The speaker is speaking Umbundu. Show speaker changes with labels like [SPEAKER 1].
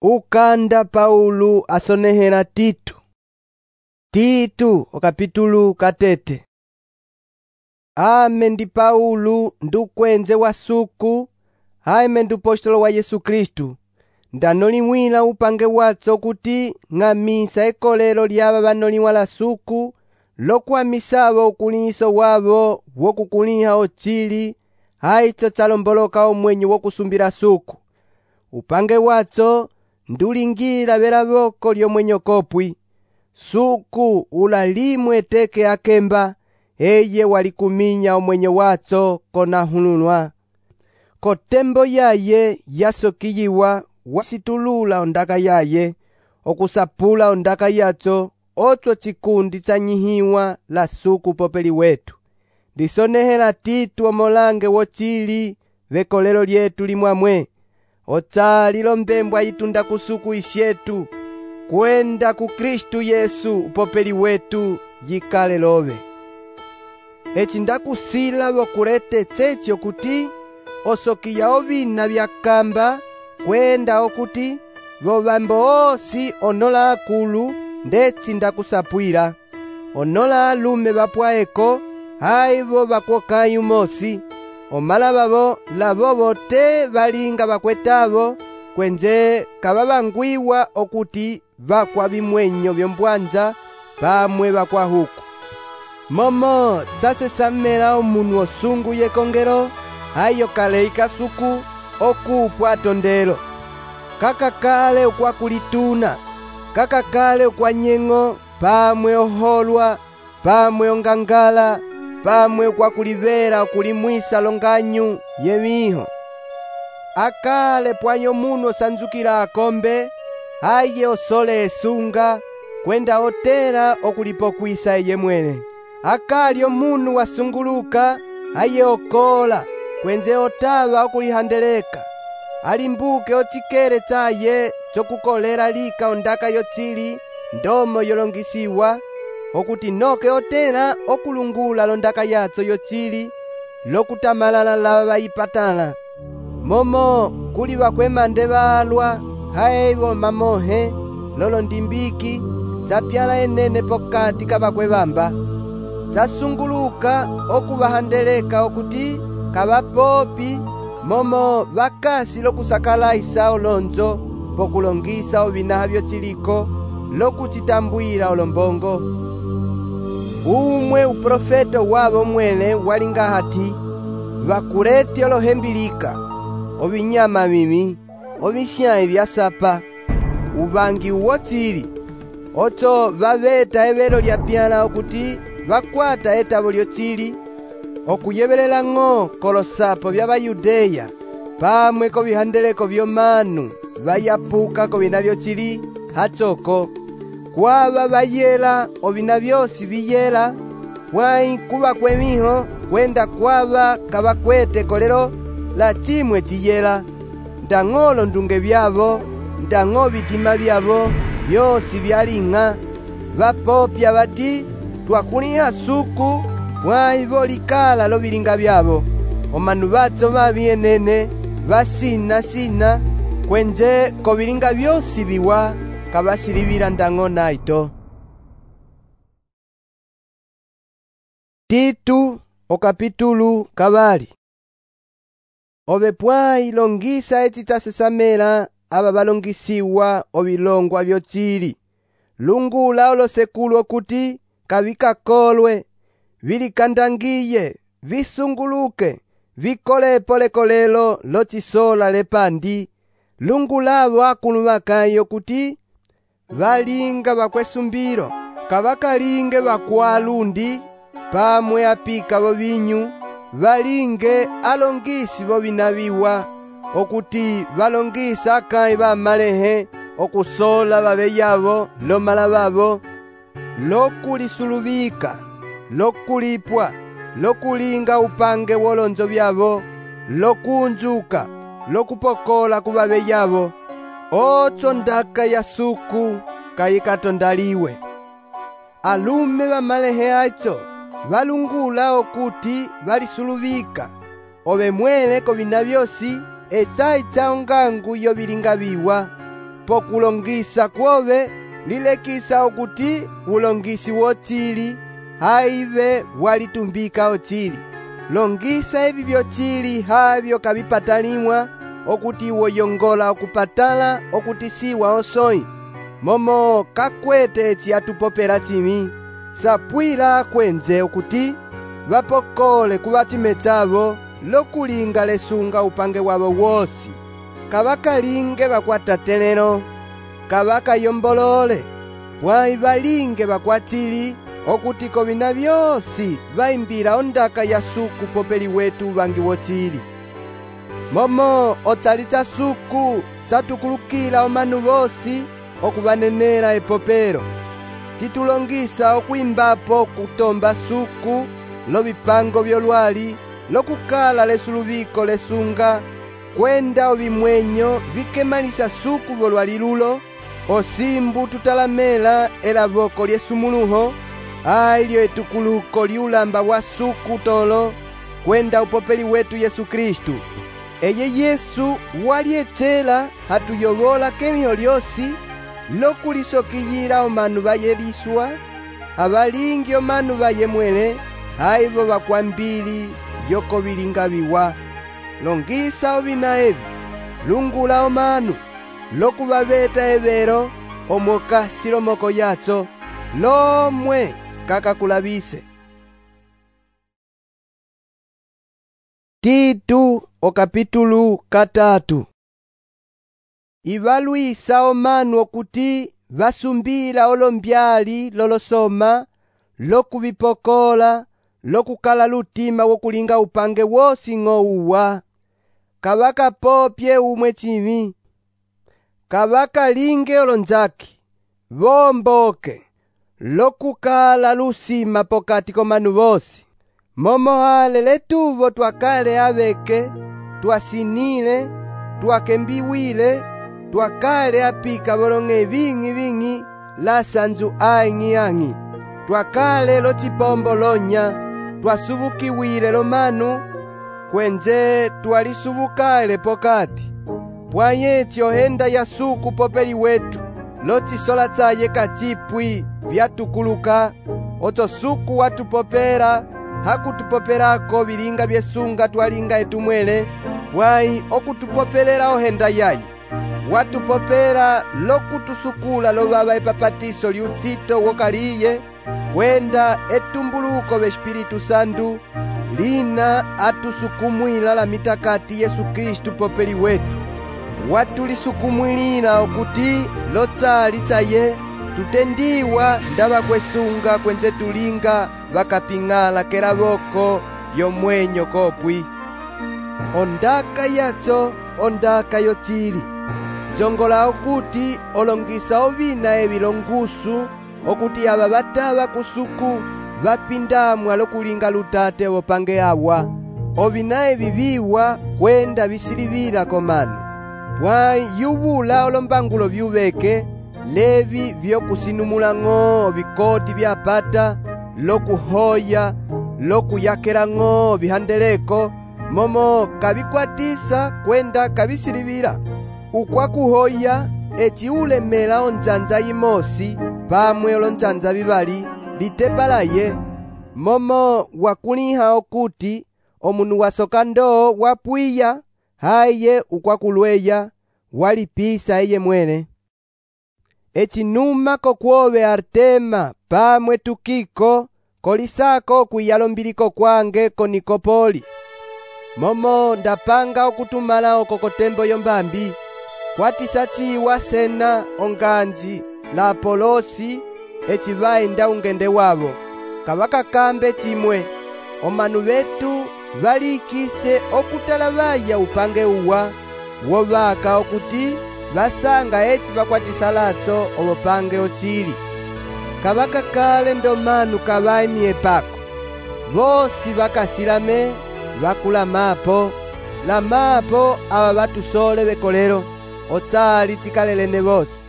[SPEAKER 1] Ukanda Paulo asonehela Tito. Tito okapitulu katete. Ame ndi Paulo ndukwenze wa suku, aime ndupostolo wa Yesu Kristu. Ndanoliwila upange watso kuti ng'amisa ekolelo lyaba banoliwa la suku, lokuamisaba ukuliso wabo wokukuliha ochili, haitso tsalomboloka omwenyo wokusumbila suku. Upange watso ndulingila bela boko lyomwenyo kopwi. Suku ulalimwe teke akemba, eye walikuminya omwenyo watso konahululwa. Kotembo yaye yasokiyiwa wasitulula ondaka yaye, okusapula ondaka yatso, otso chikundi tsanyihiwa la suku popeli wetu. Ndisonehela Tito omolange wochili vekolelo lyetu limwamwe. Otsali lombembwa itunda kusuku isyetu, kwenda ku Kristu Yesu upopeli wetu yikale lobe. Eci ndakusila bokulete tsetsyo kuti osokiya ovina byakamba, kwenda okuti bobambo osi onola akulu ndeci ndakusapwila. Onola alume bapwaeko, haibo bakwokayu mosi. Omala babo labobo te balinga bakwetabo, kwenze kababangwiwa okuti bakwa bimwenyo byombwanja pamwe bakwa huku. Momo tsasesamela omunu osungu yekongelo, hayo kale ikasuku okupwa atondelo. Kakakale ukwakulituna, kakakale ukwanyeng'o, pamwe oholwa, pamwe ongangala, pamwe ukwakulibela okulimwisa longanyu yemiho. Akale pwanyo munu osanzukila akombe, haye osole esunga, kwenda otela okulipokwisa eye mwene. Akali omunu wasunguluka, haye okola, kwenze otaba okulihandeleka. Alimbuke ochikele tsaye chokukolela lika ondaka yotsili, ndomo yolongisiwa, okuti noke otela okulungula londaka yatso yotsili, lokutamalala laba bayipatala. Momo kuli bakwemande balwa, haibo mamohe, lolo ndimbiki, tsapyala enene pokati kabakwebamba. Tsasunguluka okubahandeleka okuti kabapopi, momo bakasi lokusakalaisa olonzo, pokulongisa ovinaha byotsiliko, lokuchitambwila olombongo. Umwe uprofeta wabo mwene walinga hati, bakuleti olohembilika, obinyama mimi, obisyayi byasapa, ubangi uwotsili, otso babeta ebelo lyapyala okuti bakwata etabo lyotsili, okuyebelela ng'o kolosapo by'Abayudeya, pamwe kobihandeleko byomanu, bayapuka kobina byotsili, hatsoko. Kwaba bayela ovina byosi biyela, pwai kuba kwemiho, kwenda kwaba kabakwete kolelo la chimwe chiyela. Ndang'olo ndunge byabo, ndang'o bitima byabo, byosi byaling'a. Bapopya bati, twakuliha suku, pwai bolikala lobilinga byabo. Omanu batso babienene, basina, kwenze kobilinga byosi biwa, kabasilibila ndang'o naito. Tito okapitulu kabali. Obe pwai longisa eci tsasesamela aba balongisiwa obilongwa byotsili. Lungula olosekulu okuti kabikakolwe, bilikandangiye, visunguluke, vikolepo lekolelo lochisola lepandi. Lungulabo akulu bakayo kuti balinga bakwesumbilo, kabakalinge bakwalundi, pamwe apika bobinyu, balinge alongisi bobinabiwa, okuti balongisa akayi bamalehe, okusola babe yabo, lomala babo, lokulisulubika, lokulipwa, lokulinga upange wolonzo byabo, lokunjuka, lokupokola kubabe yabo, otso ndaka ya suku kayikatondaliwe. Alume bamalehe acho balungula okuti balisulubika, obe mwele kobina byosi, etsayi tsa ongangu yobilinga biwa. pokulongisa kwove lilekisa okuti ulongisi wotsili haive walitumbika otsili. Longisa evi vyotsili havyo kavipatalimwa okuti woyongola okupatala okuti siwa osoi. Momo kakwete eci atupopela tsimi sapwila kwenze okuti vapokole kuvatimetsavo lokulinga lesunga upange wavo wosi. Kavakalinge vakwatatelelo, kavakayombolole, pwayi valinge vakwatsili okuti kovina vyosi vaimbila ondaka ya suku popeli wetu uvangi wotsili. Momo otsali tsa suku tsatukulukila omanu vosi okuvanenela epopelo. Titulongisa okuimbapo kutomba suku lovipango vyolwali lokukala lesuluviko lesunga kwenda ovimwenyo vikemalisa suku volwali lulo, osimbu tutalamela elavoko lyesumuluho ailyo etukuluko liulamba wa suku tolo kwenda upopeli wetu Yesu Kristu. Eye Yesu walietela hatuyovola kemyo lyosi lokulisokiyila omanu vayeliswa avalingi omanu vayemwele haivo vakwambili yokovilinga viwa. Longisa ovina evi, lungula omanu lokuvaveta evero omokasi lomoko yatso lomwe kakakulavise. Titu okapitulu 3. Ivalwisa omanu okuti vasumbila olombyali lolosoma lokuvipokola lokukala lutima wokulinga upange wosi ng'ouwa. Kavakapopye umwe tsimi, kavakalinge olonzaki, vomboke lokukala lusima pokati komanu vosi. Momo ale letuvo twakale aveke, twasinile, twakembiwile, twakale apika volong'e ving'i la sanzu ang'i, twakale lotsipombo lonya, twasubukiwile lomanu, kwenze twalisubukaile pokati. Pwanyetsi ohenda ya suku popeli wetu, lotsisola tsaye katsipwi vyatukuluka, otso suku watupopela, hakutupopelako vilinga vyesunga twalinga etumwele, pwayi okutupopelela ohenda yaye. Watupopela lokutusukula lovava epapatiso liutsito wokaliye, kwenda etumbuluko v'Espiritu Santu, lina atusukumwila la mitakati Yesu Kristu popeli wetu. Watulisukumwilila okuti lotsali tsaye tutendiwa ndava kwesunga kwenze tulinga vakaping'ala kelavoko yomwenyo kopwi. Ondaka yatso ondaka yotsili, njongola okuti olongisa ovina evi longusu okuti ava vatava kusuku vapindamwa lokulinga lutate vopange awa. Ovina evi viwa kwenda visilivila komanu, pwayi yuvula olombangulo vyuveke levi vyokusinumula ng'o vikoti vyapata lokuhoya lokuyakela ng'o vihandeleko, momo kavikwatisa kwenda kavisilivila. Ukwakuhoya eci ulemela onzanza yimosi pamwe olonzanza vivali litepalaye, momo wakuliha okuti omunu wasoka ndoo wapwiya haye ukwakulweya walipisa eye mwene. Eci numa kokwove Artema pamwe Tukiko kolisako okwiyala mbiliko kwange ko Nikopoli. Momo ndapanga okutumala oko kotembo yombambi, kwatisa tsiwa Sena onganji la Apolosi eci vaenda ungende wavo. Kavakakambe chimwe, omanu vetu valikise okutala vaya upange uwa wovaka okuti vasanga eci vakwatisa latso ovopange otsili. Kavakakale ndomanu kavaimie pako, vosi vakasilame vakulamapo, lamapo ava vatusole vekolelo, otsali tsikalelene vosi.